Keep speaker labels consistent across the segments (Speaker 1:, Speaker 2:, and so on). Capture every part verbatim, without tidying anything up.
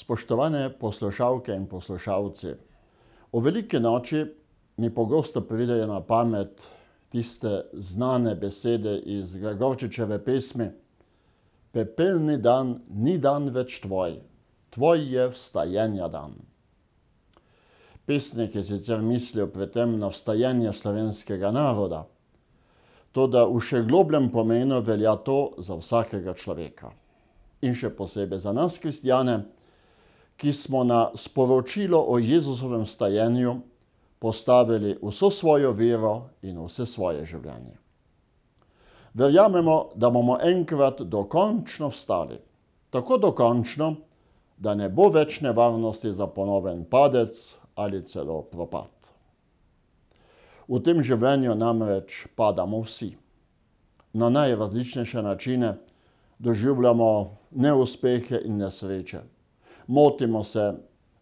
Speaker 1: Spoštovane poslušalke in poslušalci, o veliki noči mi pogosto pridejo na pamet tiste znane besede iz Gregorčičeve pesmi: Pepelni dan ni dan več tvoj, tvoj je vstajenja dan. Pesnik je sicer mislil pri tem na vstajenje slovenskega naroda, toda v še globljem pomenu velja to za vsakega človeka. In še posebej za nas, kristjane, ki smo na sporočilo o Jezusovem vstajenju postavili vso svojo vero in vse svoje življenje. Verjamemo, da bomo enkrat dokončno vstali, tako dokončno, da ne bo več nevarnosti za ponoven padec ali celo propad. V tem življenju namreč padamo vsi. Na najrazličnejše načine doživljamo neuspehe in nesreče. Motimo se,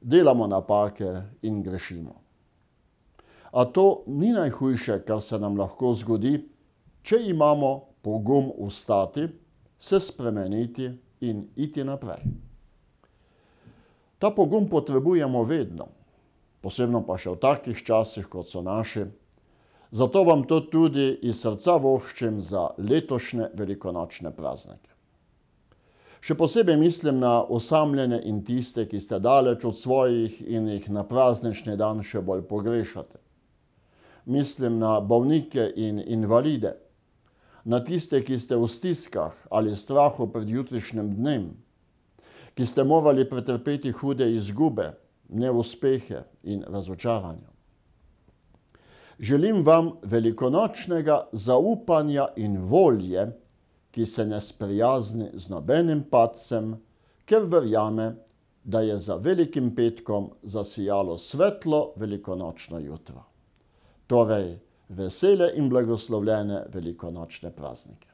Speaker 1: delamo napake in grešimo. A to ni najhujše, kar se nam lahko zgodi, če imamo pogum vstati, se spremeniti in iti naprej. Ta pogum potrebujemo vedno, posebno pa še v takih časih, kot so naši. Zato vam to tudi iz srca voščim za letošnje velikonočne praznike. Še posebej mislim na osamljene in tiste, ki ste daleč od svojih in jih na praznični dan še bolj pogrešate. Mislim na bolnike in invalide, na tiste, ki ste v stiskah ali strahu pred jutrišnjim dnem, ki ste morali pretrpeti hude izgube, neuspehe in razočaranja. Želim vam velikonočnega zaupanja in volje, ki se ne sprijazni z nobenim padcem, ker verjame, da je za velikim petkom zasijalo svetlo velikonočno jutro. Torej, vesele in blagoslovljene velikonočne praznike.